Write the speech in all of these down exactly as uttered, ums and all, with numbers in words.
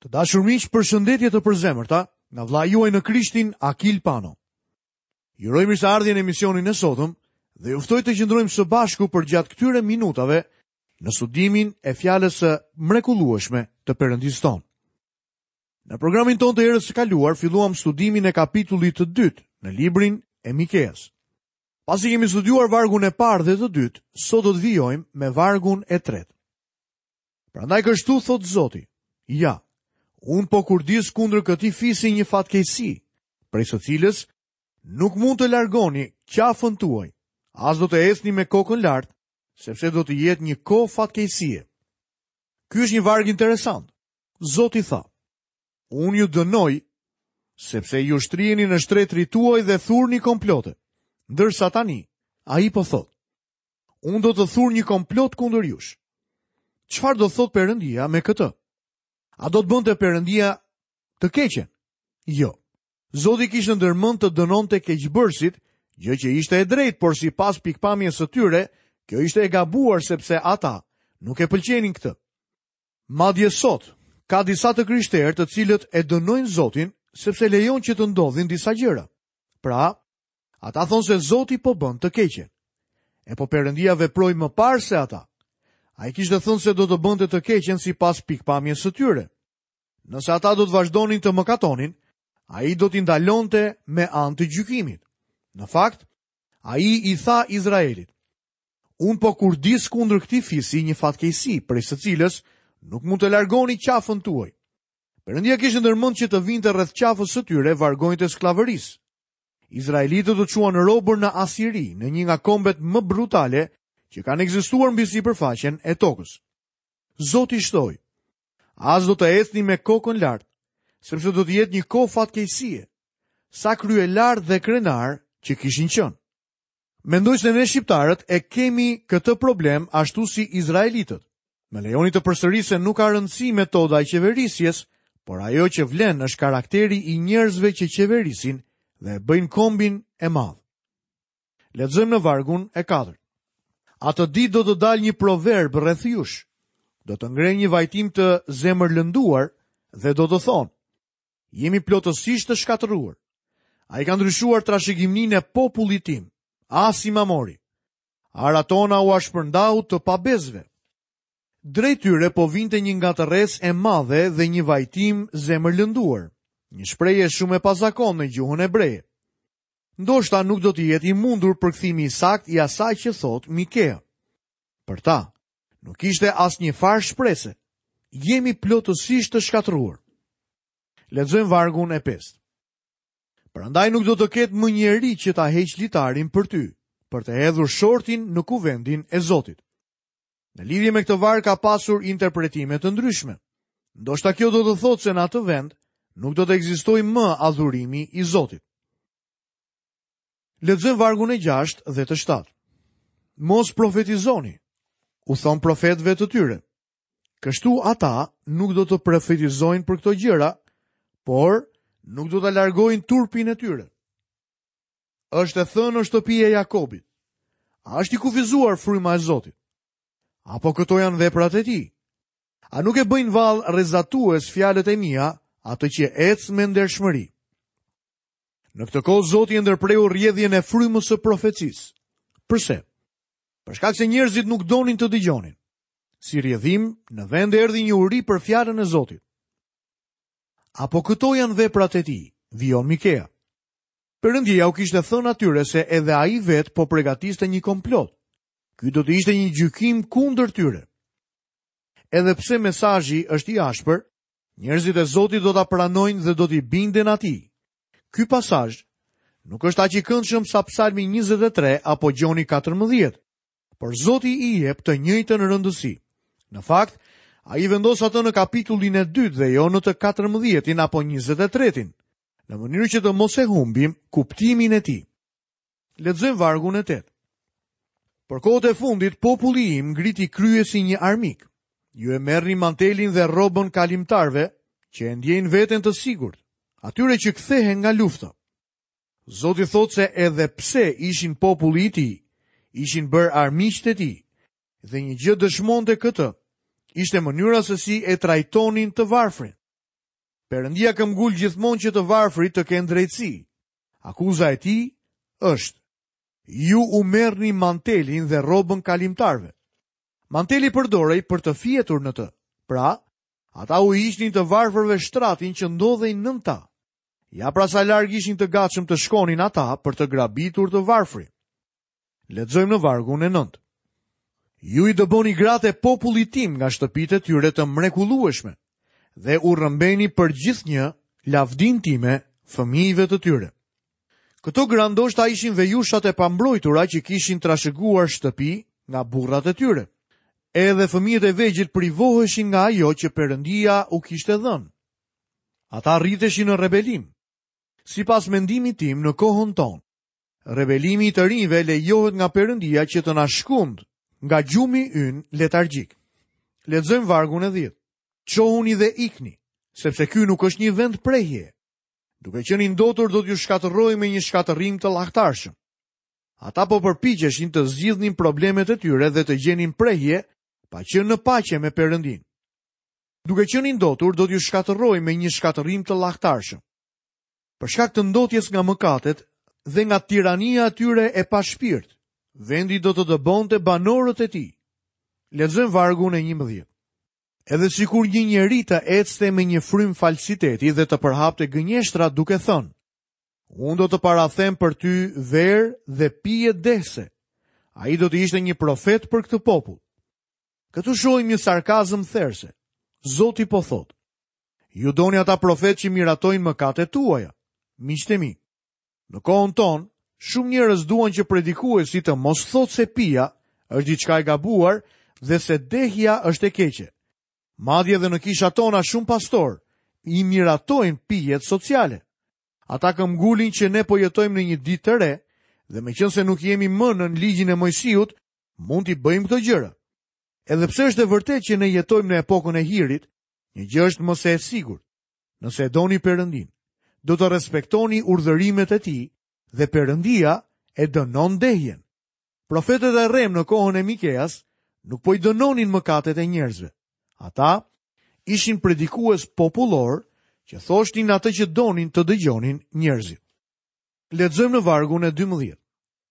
Të dashur miq, përshëndetje të përzemërta nga vëllai juaj në Krishtin Akil Pano. Ju uroj mirëseardhjen në emisionin e sotëm dhe ju ftoj të qëndrojmë së bashku përgjatë këtyre minutave në studimin e fjalës së mrekullueshme të Perëndisë tonë. Në programin tonë të herës së kaluar filluam studimin e kapitullit të dytë në librin e Mikeas. Pasi kemi studiuar vargun e parë dhe të dytë, sot do të vijojmë me vargun e tretë. Prandaj kështu thotë Zoti: Ja, unë po kurdis kundër këtij fisi një fatkeqësi, prej së cilës nuk mund të largoni qafën tuaj, as do të ecni me kokën lart, sepse do të jetë një kohë fatkeqësie. Ky është një varg interesant. Zoti tha: Unë ju dënoj, sepse ju shtriheni në shtretërit tuaj dhe thurni komplote. Ndërsa tani, ai po thotë: Unë do të thur një komplot kundër jush. Çfarë do thotë Perëndia me këtë? A do të bënte Perëndia të keqen? Jo. Zoti kishte ndërmend të dënonte keqbërësit, gjë që ishte e drejtë, por sipas pikpamjes së tyre, kjo ishte e gabuar sepse ata nuk e pëlqenin këtë. Madje sot, ka disa të krishterë të cilët e dënojnë Zotin sepse lejon që të ndodhin disa gjëra. Pra, ata thonë se Zoti po bën të keqen. E po Perëndia veproi më parë se ata. Ai kishte thënë se do të bënte të keqen sipas pikpamjes së tyre. Nëse ata do të vazhdonin të mëkatonin, ai do t'i ndalonte me anë të gjykimit. Në fakt, ai i tha Izraelit: Unë po kurdis kundër këtij fisi një fatkeqësi, prej së cilës nuk mund të largoni qafën tuaj. Perëndia kishte ndërmend që të vinte rreth qafës së tyre vargonjtë e skllavërisë. Izraelitët u çuan robër në Asiri, në një nga kombet më brutale që kanë ekzistuar mbi sipërfaqen e tokës. Zoti shtoi: As do të ecni me kokën lart, sepse do të jetë një kohë fatkeqësie, sa kryelar dhe krenar që kishin qenë. Mendoj se ne shqiptarët e kemi këtë problem ashtu si izraelitët. Më lejoni të përsëris se nuk ka rëndësi metoda e qeverisjes, por ajo që vlen është karakteri i njerëzve që qeverisin dhe e bëjnë kombin e madh. Lexojmë në vargun e katërt. Atë ditë do të dalë një proverb rreth jush. Do të ngrejnë një vajtim të zemërlënduar dhe do të thonë: Jemi plotësisht të shkatërruar. Ai ka ndryshuar trashëgiminë e popullit tim, as i mamori. Ara tona ua shpërndau të pabesëve. Drejt tyre po vinte një ngatërresë e madhe dhe një vajtim zemërlënduar, një shprehje shumë e pazakontë në gjuhën hebreje. Ndoshta nuk do të jetë i mundur përkthimi i saktë i asaj që thotë Mikea. Për ta, nuk ishte asnjë farë shprese. Jemi plotësisht të shkatërruar. Lexojmë vargun e pestë. Prandaj nuk do të ketë më njeri që ta heq litarin për ty, për të hedhur shortin në kuvendin e Zotit. Në lidhje me këtë varg ka pasur interpretime të ndryshme. Ndoshta kjo do të thotë se në atë vend nuk do të ekzistojë më adhurimi i Zotit. Lexojmë vargun e gjashtë dhe të shtatë. Mos profetizoni, u thon profetëve të tyre. Kështu ata nuk do të profetizojnë për këto gjëra, por nuk do ta largojnë turpin e tyre. Është e thënë në shtëpinë e Jakobit: A është i kufizuar fryma e Zotit? Apo këto janë veprat e tij? A nuk e bëjnë vallë rrezatues fjalët e mia, atë që ec me ndershmëri? Në këtë kohë Zoti e ndërpreu rrjedhjen e frymës së profecisë. Përse? Për shkak se njerëzit nuk donin të dëgjonin. Si rrjedhim, në vend erdhi një uri për fjalën e Zotit. Apo këto janë veprat e tij, vijon Mikea. Perëndia u kishte thënë atyre se edhe ai vetë po përgatiste një komplot. Ky do të ishte një gjykim kundër tyre. Edhe pse mesazhi është i ashpër, njerëzit e Zotit do ta pranojnë dhe do t'i binden atij. Ky pasazh nuk është aq i këndshëm sa Psalmi njëzet e tre apo Gjoni katërmbëdhjetë, por Zoti i jep të njëjtën rëndësi. Në fakt, ai vendos atë në kapitullin e dytë dhe jo në të katërmbëdhjetin apo njëzet e tretin, në mënyrë që të mos e humbim kuptimin e tij. Lexojmë vargun e tetë. Për kohët e fundit, populli im ngriti krye si një armik. Ju e merrni mantelin dhe rrobën kalimtarëve që e ndjejnë veten të sigurt, atyre që kthehen nga lufta. Zoti thotë se edhe pse ishin populli i tij, ishin bërë armiqtë e tij, dhe një gjë dëshmonte këtë, ishte mënyra se si e trajtonin të varfrin. Perëndia këmbgul gjithmonë që të varfrit të kenë drejtësi. Akuza e tij është: ju u merrni mantelin dhe rrobën kalimtarëve. Manteli përdorej për të fjetur në të. Pra, ata u hiqnin të varfërve shtratin që ndodhej nën ta. Ja pra sa larg ishin të gatshëm të shkonin ata për të grabitur të varfrit. Lexojmë në vargun e nëntë. Ju i dëboni gratë e popullit tim nga shtëpitë e tyre të mrekullueshme dhe u rrëmbeni për gjithnjë lavdinë time fëmijëve të tyre. Këto gra ndoshta ishin vejushat e pambrojtura që kishin trashëguar shtëpi nga burrat e tyre. Edhe fëmijët e vegjël privoheshin nga ajo që Perëndia u kishte dhënë. Ata rriteshin në rebelim. Sipas mendimit tim në kohën tonë, rebelimi i të rinjve lejohet nga Perëndia që të na shkund nga gjumi ynë letargjik. Lexojmë vargun e dhjetë. Çohuni dhe ikni, sepse ky nuk është një vend prehje. Duke qenë i ndotur do t'ju shkatërroj me një shkatërrim të llahtarshëm. Ata po përpiqeshin të zgjidhnin problemet e tyre dhe të gjenin prehje pa qenë në paqe me Perëndin. Duke qenë i ndotur do t'ju shkatërroj me një shkatërrim të llahtarshëm. Për shkak të ndotjes nga mëkatet dhe nga tirania e tyre e pashpirt, vendi do të dëbonte banorët e tij. Lexojmë vargun e njëmbëdhjetë. Edhe sikur një njeri të ecte me një frymë falsiteti dhe të përhapte gënjeshtra duke thënë: unë do të parathem për ty verë dhe pije dehse. Ai do të ishte një profet për këtë popull. Këtu shohim një sarkazëm therse. Zoti po thotë: ju doni ata profet që miratojnë mëkatet tuaja. Miqtë e mi, në kohën tonë, shumë njerëz duan që predikuesi të mos thotë se pija është diçka e gabuar dhe se dehja është e keqe. Madje edhe në kishat tona shumë pastor i miratojnë pijet sociale. Ata këmbgulin që ne po jetojmë në një ditë të re dhe meqense nuk jemi më nën ligjin e Mojsiut, mund t'i bëjmë këto gjëra. Edhe pse është e vërtetë që ne jetojmë në epokën e hirit, një gjë është më se e sigurt. Nëse e doni Perëndin, do të respektoni urdhërimet e tij dhe Perëndia e dënon dehjen. Profetët e rrem në kohën e Mikeas nuk po i dënonin mëkatet e njerëzve. Ata ishin predikues popullor që thoshnin atë që donin të dëgjonin njerëzit. Lexojmë në vargun e dymbëdhjetë.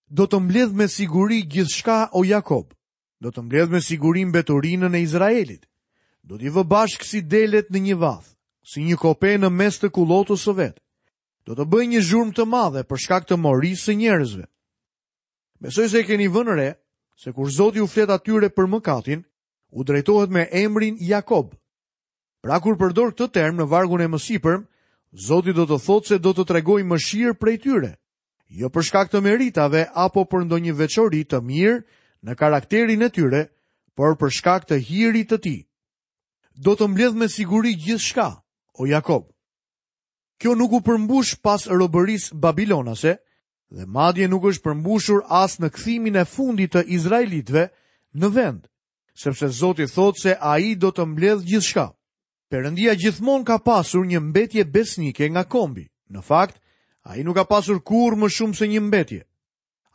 Do të mbledh me siguri gjithçka o Jakob, do të mbledh me siguri mbeturinën e Izraelit. Do t'i vë bashkë si delet në një vath, si një kope në mes të kullotës së vet. Do të bëj një zhurmë të madhe për shkak të morisë së njerëzve. Besoj se e keni vënë re se kur Zoti u flet atyre për mëkatin, u drejtohet me emrin Jakob. Pra kur përdor këtë term në vargun e mësipërm, Zoti do të thotë se do të tregojë mëshirë prej tyre, jo për shkak të meritave apo për ndonjë veçori të mirë në karakterin e tyre, por për shkak të hirit të tij. Do të mbledh me siguri gjithçka, o Jakob. Kjo nuk u përmbush pas robërisë babilonase dhe madje nuk është përmbushur as në kthimin e fundit të izraelitëve në vend, sepse Zoti thotë se ai do të mbledh gjithçka. Perëndia gjithmonë ka pasur një mbetje besnike nga kombi. Në fakt, ai nuk ka pasur kurrë më shumë se një mbetje.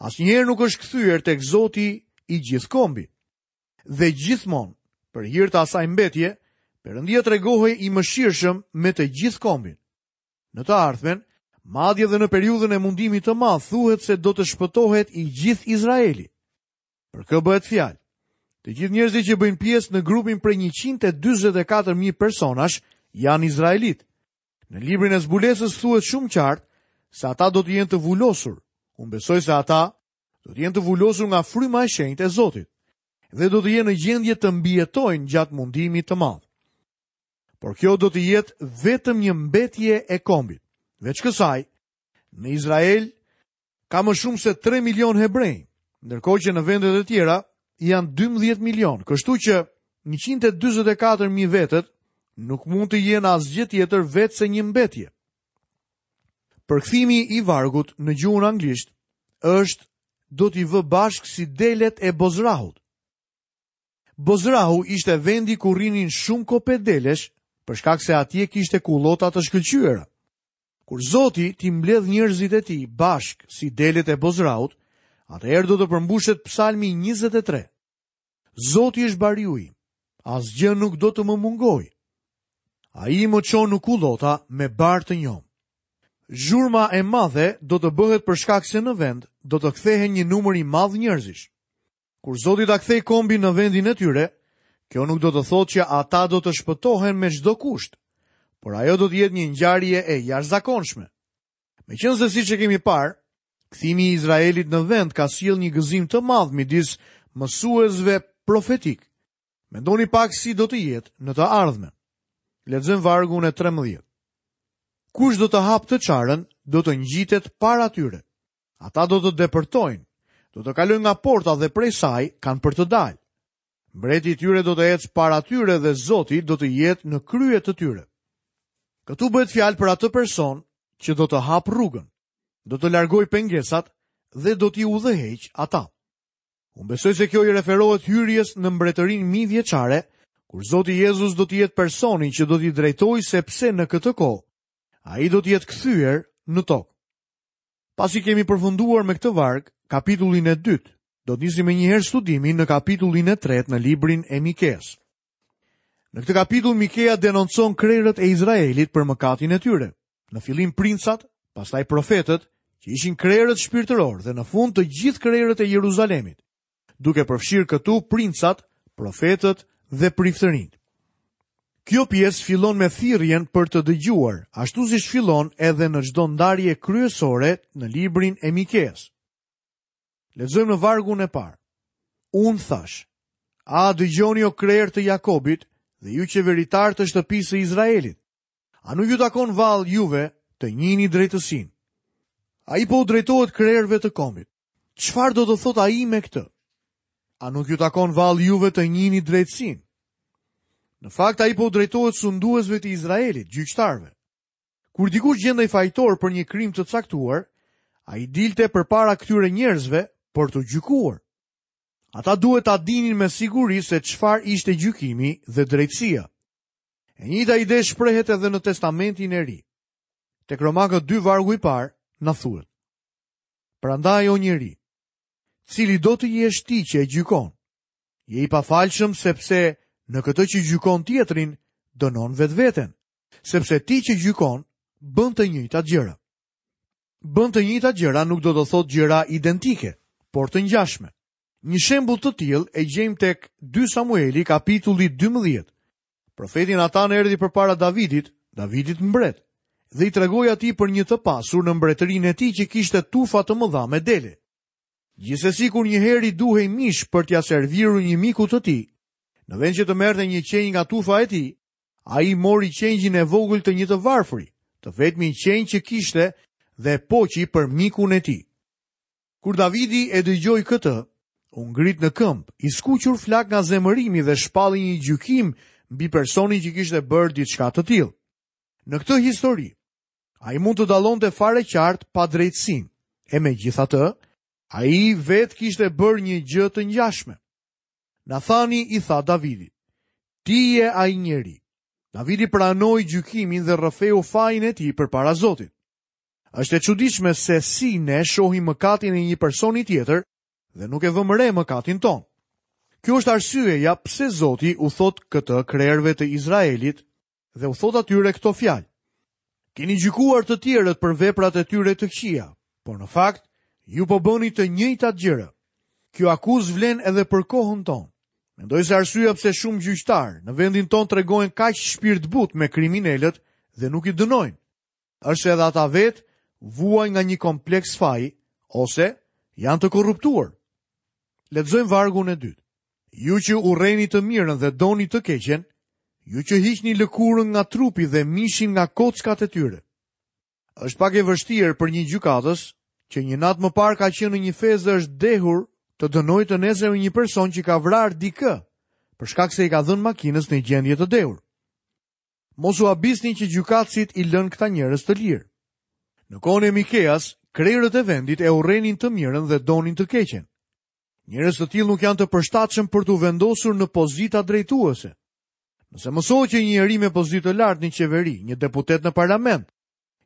Asnjëherë nuk është kthyer tek Zoti i gjithë kombi. Dhe gjithmonë, për hir të asaj mbetje, Perëndia tregohej i mëshirshëm me të gjithë kombin. Në të ardhmen, madje edhe në periudhën e mundimit të madh, thuhet se do të shpëtohet i gjithë Izraeli. Për kë bëhet fjalë? Të gjithë njerëzit që bëjnë pjesë në grupin prej njëqind e dyzet e katër mijë personash janë izraelit. Në librin e zbulesës thuhet shumë qartë se ata do të jenë të vulosur. Unë besoj se ata do të jenë të vulosur nga fryma e shenjtë e Zotit dhe do të jenë në gjendje të mbijetojnë gjatë mundimit të madh. Por kjo do të jetë vetëm një mbetje e kombit. Veç kësaj, në Izrael ka më shumë se tre milion hebrej, ndërkohë që në vendet e tjera janë dymbëdhjetë milion, kështu që njëqind e dyzet e katër mijë vetët nuk mund të jenë asgjë tjetër veç se një mbetje. Përkthimi i vargut në gjuhën anglisht është do t'i vë bashkë si delet e Bozrahut. Bozrahu ishte vendi ku rrinin shumë kope delesh, për shkak se atje kishte kullota të shkëlqyera. Kur Zoti t'i mbledh njerëzit e tij bashkë si delet e Bozrahut, atëherë do të përmbushet Psalmi njëzet e tre. Zoti është bariu im, asgjë nuk do të më mungojë. Ai më çon në kullota me bar të njomë. Zhurma e madhe do të bëhet për shkak se në vend do të kthehen një numër i madh njerëzish. Kur Zoti ta kthejë kombin në vendin e tyre, kjo nuk do të thotë që ata do të shpëtohen me çdo kusht, por ajo do të jetë një ngjarje e jashtëzakonshme. Meqenëse siç e kemi parë, kthimi i Izraelit në vend ka sjellë një gëzim të madh midis mësuesve profetik. Mendoni pak si do të jetë në të ardhmen. Lexojmë vargun e trembëdhjetë. Kush do të hapë të çarën, do të ngjitet para tyre. Ata do të depërtojnë, do të kalojnë nga porta dhe prej saj kanë për të dalë. Mbreti i tyre do të ecë para tyre dhe Zoti do të jetë në krye të tyre. Këtu bëhet fjalë për atë person që do të hapë rrugën, do të largojë pengesat dhe do t'i udhëheq ata. Unë besoj se kjo i referohet hyrjes në mbretërinë mijëvjeçare, kur Zoti Jezus do të jetë personi që do t'i drejtojë, sepse në këtë kohë ai do të jetë kthyer në tokë. Pasi kemi përfunduar me këtë varg, kapitullin e dytë, do të nisim menjëherë studimin në kapitullin e tretë në librin e Mikeas. Në këtë kapitull Mikea denoncon krerët e Izraelit për mëkatin e tyre. Në fillim princat, pastaj profetët, që ishin krerët shpirtëror dhe në fund të gjithë krerët e Jeruzalemit, duke përfshirë këtu princat, profetët dhe priftërinjtë. Kjo pjesë fillon me thirrjen për të dëgjuar, ashtu siç fillon edhe në çdo ndarje kryesore në librin e Mikeas. Lexojmë në vargun e parë. Unë thash: A dëgjoni o krerë të Jakobit dhe ju qeveritar të shtëpisë së Izraelit? A nuk ju takon vallë juve të njihni drejtësinë? Ai po u drejtohet krerëve të kombit. Çfarë do të thotë ai me këtë? A nuk ju takon vallë juve të njihni drejtësinë? Në fakt, ai po u drejtohet sunduesve të Izraelit, gjyqtarëve. Kur dikush gjendej fajtor për një krim të caktuar, ai dilte përpara këtyre njerëzve për t'u gjykuar. Ata duhet ta dinin me siguri se çfarë ishte gjykimi dhe drejtësia. E njëjta ide shprehet edhe në Testamentin e Ri. Tek Romakët dy vargu i parë na thuhet: Prandaj o njeri, cili do të jesh ti që e gjykon? Je i pafalshëm sepse në këtë që gjykon tjetrin, dënon vetveten, sepse ti që gjykon bën të njëjtat gjëra. Bën të njëjtat gjëra nuk do të thotë gjëra identike, por të ngjashme. Një shembull të tillë e gjejmë tek dy Samueli kapitulli dymbëdhjetë. Profeti Natan erdhi përpara Davidit, Davidit mbret, dhe i tregoi atij për një të pasur në mbretërinë e tij që kishte tufa të mëdha me dele. Gjithsesi kur një herë i duhej mish për t'ia servirur një miku të tij, në vend që të merrte një qenj nga tufa e tij, ai mori qengjin e vogël të një të varfri, të vetmin qenj që kishte, dhe poqi për mikun e tij. Kur Davidi e dëgjoi këtë, u ngrit në këmbë, i skuqur flak nga zemërimi dhe shpalli një gjykim mbi personin që kishte bërë diçka të tillë. Në këtë histori, ai mund të dallonte fare qartë padrejtësinë, e megjithatë, ai vetë kishte bërë një gjë të ngjashme. Nathani i tha Davidit: Ti je ai njeri. Davidi pranoi gjykimin dhe rrëfeu fajin e tij përpara Zotit. Është e çuditshme se si ne shohim mëkatin e një personi tjetër dhe nuk e vëmë re mëkatin ton. Kjo është arsyeja pse Zoti u thot këtë krerëve të Izraelit dhe u thot atyre këto fjalë: Keni gjykuar të tjerët për veprat e tyre të këqija, por në fakt ju po bëni të njëjtat gjëra. Kjo akuzë vlen edhe për kohën tonë. Mendoj se arsyeja pse shumë gjyqtar në vendin tonë tregohen kaq shpirtbut me kriminalët dhe nuk i dënojnë, është se edhe ata vetë vuajnë nga një kompleks faji ose janë të korruptuar. Lexojmë vargun e dytë. Ju që urreni të mirën dhe doni të keqen, ju që hiqni lëkurën nga trupi dhe mishin nga kockat e tyre. Është pak e vështirë për një gjykatës që një natë më parë ka qenë në një fezë dhe është dehur të dënojë të nesërmen një person që ka vrarë dikë, për shkak se i ka dhënë makinës në gjendje të dehur. Mos u habisni që gjykatësit i lënë këta njerëz të lirë. Në kohën e Mikeas, krerët e vendit e urrenin të mirën dhe donin të keqen. Njerëz të tillë nuk janë të përshtatshëm për t'u vendosur në pozita drejtuese. Nëse mësohet që një njeri me pozitë të lartë në qeveri, një deputet në parlament,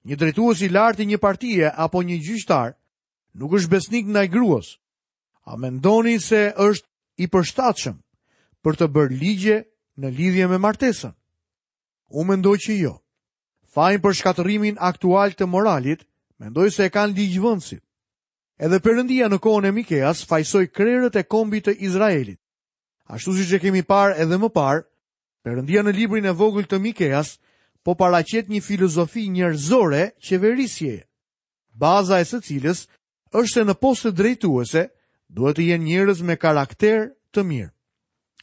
një drejtues i lartë i një partie apo një gjyqtar, nuk është besnik ndaj gruas, a mendoni se është i përshtatshëm për të bërë ligje në lidhje me martesën? Unë mendoj që jo. Fajin për shkatërrimin aktual të moralit, mendoj se e kanë ligjvënësit. Edhe Perëndia në kohën e Mikeas fajsoi krerët e kombit të Izraelit. Ashtu siç e kemi parë edhe më parë, Perëndia në librin e vogël të Mikeas po paraqet një filozofi njerëzore qeverisjeje, baza e së cilës është se në poste drejtuese duhet të jenë njerëz me karakter të mirë.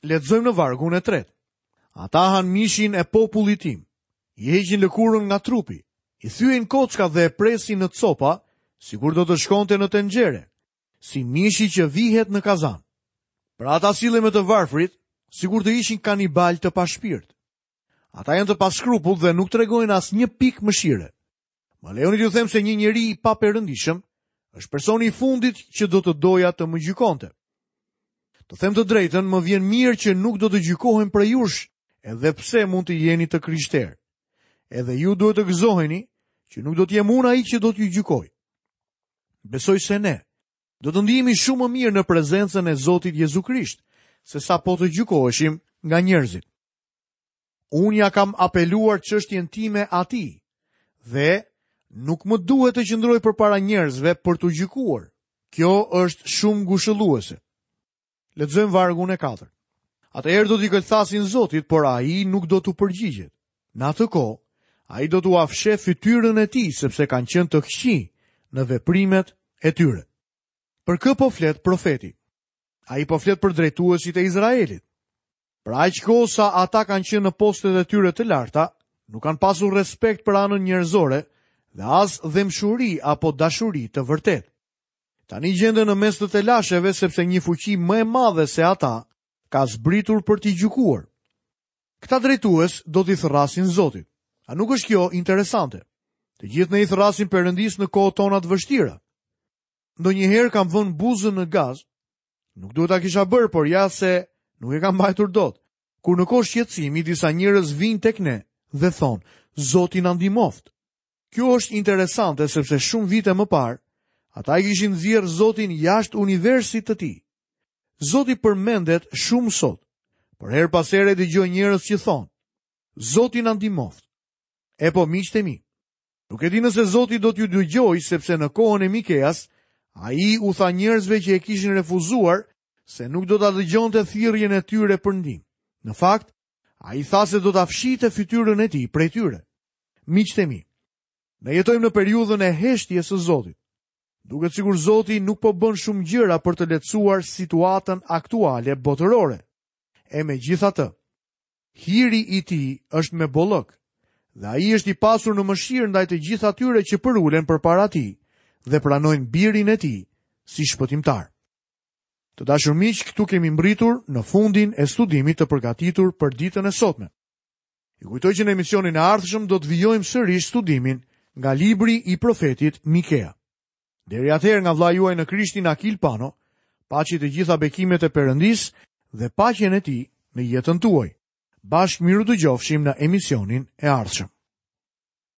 Lexojmë në vargun e tretë. Ata hanë mishin e popullit tim, i heqin lëkurën nga trupi, i thyejnë kocka dhe e presin në copa, sikur do të shkonte në tenxhere, si mishi që vihet në kazan. Pra ata sillen me të varfrit, sikur të ishin kanibal të pashpirt. Ata janë të paskrupullt dhe nuk tregojnë asnjë pikë mëshire. Më lejoni t'ju them se një njeri i paperëndishëm është personi i fundit që do të doja të më gjykonte. Të them të drejtën, më vjen mirë që nuk do të gjykohem prej jush, edhe pse mund të jeni të krishterë. Edhe ju duhet të gëzoheni që nuk do të jem unë ai që do t'ju gjykoj. Besoj se ne do të ndihemi shumë më mirë në prezencën e Zotit Jezu Krisht, se sa po të gjykoheshim nga njerëzit. Unë ja kam apeluar çështjen time atij dhe nuk më duhet të qëndroj përpara njerëzve për t'u gjykuar. Kjo është shumë ngushëlluese. Lexojmë vargun e katërt. Atëherë do t'i këlthasin Zotit, por ai nuk do t'u përgjigjet. Në atë kohë, ai do t'ua fsheh fytyrën e tij, sepse kanë qenë të këqij në veprimet e tyre. Për kë po flet profeti? Ai po flet për drejtuesit e Izraelit. Për aq kohë sa ata kanë qenë në postet e tyre të larta, nuk kanë pasur respekt për anën njerëzore dhe as dhembshuri apo dashuri të vërtetë. Tani gjenden në mes të telasheve sepse një fuqi më e madhe se ata ka zbritur për t'i gjykuar. Këta drejtues do t'i thërrasin Zotit. A nuk është kjo interesante? Të gjithë ne i thërrasim Perëndisë në kohët tona të vështira. Ndonjëherë kam vënë buzën në gaz. Nuk duhet ta kisha bërë, por ja se nuk e kam mbajtur dot. Kur në kohë shqetësimi disa njerëz vijnë tek ne dhe thonë, Zoti na ndihmoft. Kjo është interesante sepse shumë vite më parë ata e kishin nxjerrë Zotin jashtë universit të tij. Zoti përmendet shumë sot, por her pas here dëgjoj njerëz që thonë, Zoti na ndihmoft. E po miqtë e mi, nuk e di nëse Zoti do t'ju dëgjojë sepse në kohën e Mikeas ai u tha njerëzve që e kishin refuzuar se nuk do ta dëgjonte thirrjen e tyre për ndihmë. Në fakt, ai tha se do ta fshihte fytyrën e tij prej tyre. Miqtë e mi, ne jetojmë në periudhën e heshtjes së Zotit. Duket sikur Zoti nuk po bën shumë gjëra për të lehtësuar situatën aktuale botërore. E megjithatë, hiri i tij është me bollëk dhe ai është i pasur në mëshirë ndaj të gjithë atyre që përulen përpara tij dhe pranojnë birin e tij si shpëtimtar. Të dashur miq, këtu kemi mbritur në fundin e studimit të përgatitur për ditën e sotme. Ju kujtoj që në emisionin e ardhshëm do të vijojmë sërish studimin nga libri i profetit Mikea. Deri atëherë nga vëllai juaj në Krishtin Akil Pano, paçi të gjitha bekimet e Perëndisë dhe paqen e tij në jetën tuaj. Bashkë miru dëgjofshim në emisionin e ardhshëm.